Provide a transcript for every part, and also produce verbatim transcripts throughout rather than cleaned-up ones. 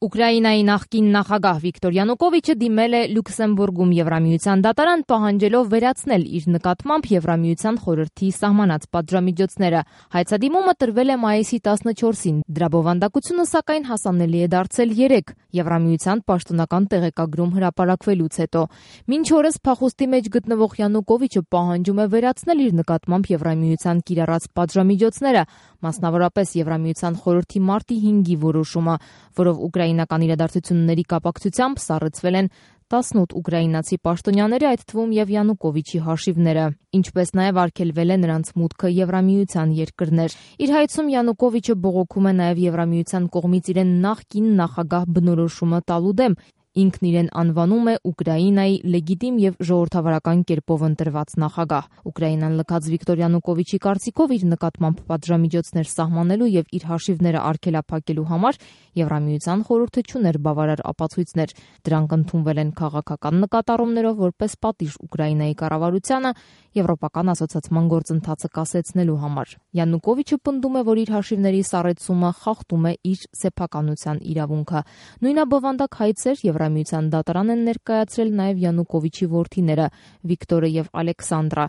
Ուկրաինայի նախկին նախագահ Վիկտոր Յանուկովիչը դիմել է Լյուքսեմբուրգում Եվրամիության դատարան, պահանջելով վերացնել իր նկատմամբ Եվրամիության խորհրդի սահմանած պատժամիջոցները։ Հայցադիմումը տրվել է մայիսի տասնչորսին, դրա բովանդակությունը սակայն հասանելի է դարձել երեկ Եվրամիության պաշտոնական տեղեկագրում հրապարակվելուց հետո։ Մինչ օրս փախուստի մեջ գտնվող Յանուկովիչը պահանջում է վերացնել իր նկատմամբ Եվրամիության կիրառած պատժամիջոցները, մասնավորապես Եվրամիության խորհրդի մարտի հինգի որոշումը, որով ուկրաինական իրադարձությունների կապակցությամբ սառեցվել են տասնութ ուկրաինացի պաշտոնյաների, այդ թվում եւ Յանուկովիչի հաշիվները, ինչպես նաեւ արգելվել է նրանց մուտքը Եվրամիության երկրներ։ Իր հայցում Յանուկովիչը բողոքում է նաեւ Եվրամիության կողմից իրեն նախկին նախագահ բնորոշումը տալու դեմ։ Ինքն իրեն անվանում է Ուկրաինայի լեգիտիմ եւ ժողովրդավարական կերպով ընտրված նախագահ։ Ուկրաինան լքած Վիկտոր Յանուկովիչի կարծիքով իր նկատմամբ պատժամիջոցներ սահմանելու եւ իր հաշիվները արգելափակելու համար Եվրամիության խորհուրդը չուներ բավարար ապացույցներ։ Դրանք ընդունվել են քաղաքական նկատառումներով որպես պատիժ Ուկրաինայի կառավարությանը եվրոպական ասոցիացման գործընթացը կասեցնելու համար։ Յանուկովիչը պնդում է, որ իր հաշիվների սառեցումը խախտում է իր սեփականության իրավունքը։ Նույնաբովանդակ հայցեր Եվրամիության դատարան են ներկայացրել նաև Յանուկովիչի որդիները Վիկտորը եւ Ալեքսանդրա։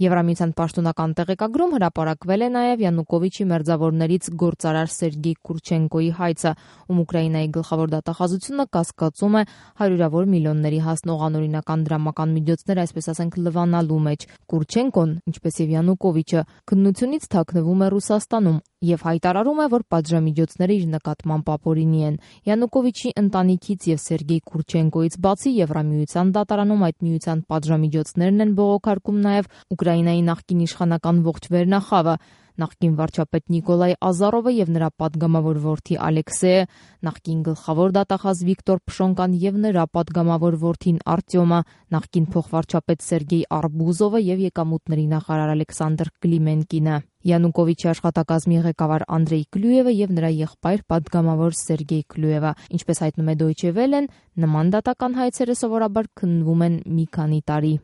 Եվրամիության պաշտոնական տեղեկագրում հրապարակվել է նաև Յանուկովիչի մերձավորներից գործարար Սերգեյ Կուրչենկոյի հայցը, ում Ուկրաինայի գլխավոր դատախազությունը կասկածում է հարյուրավոր միլիոնների հասնող անօրինական դրամական միջոցներ, այսպես ասենք, լվանալու մեջ։ Կուրչենկոն, ինչպես եւ Յանուկովիչը, քննությունից թաքնվում է Ռուսաստանում եւ հայտարարում է, որ պատժամիջոցները իր նկատմամբ ապօրինի են։ Յանուկովիչի ընտանիքից եւ Սերգեյ Կուրչենկոյից բացի Եվրամիության դատարանում այդ միության պատժամիջոցներն են բողոքարկում նաեւ Ուկրաինայի նախկին իշխանական ողջ վերնախավը, նախկին վարչապետ Նիկոլայ Ազարովը եւ նրա падգամավոր որդի Ալեքսեյը, նախկին գլխավոր դատախազ Վիկտոր Փշոնկան եւ նրա падգամավոր որդին Արտյոմը, նախկին փոխվարչապետ Սերգեյ Արբուզովը եւ եկամուտների նախարար Ալեքսանդր Կլիմենկինը։ Յանուկովիչի աշխատակազմի ղեկավար Անդրեյ Կլյուևը եւ նրա եղբայր падգամավոր Սերգեյ Կլյուևը։ Ինչպես հայտնում է Դոյչե Վելեն, նման դատական հայցերը սովորաբար քննվում են մի քանի տարի։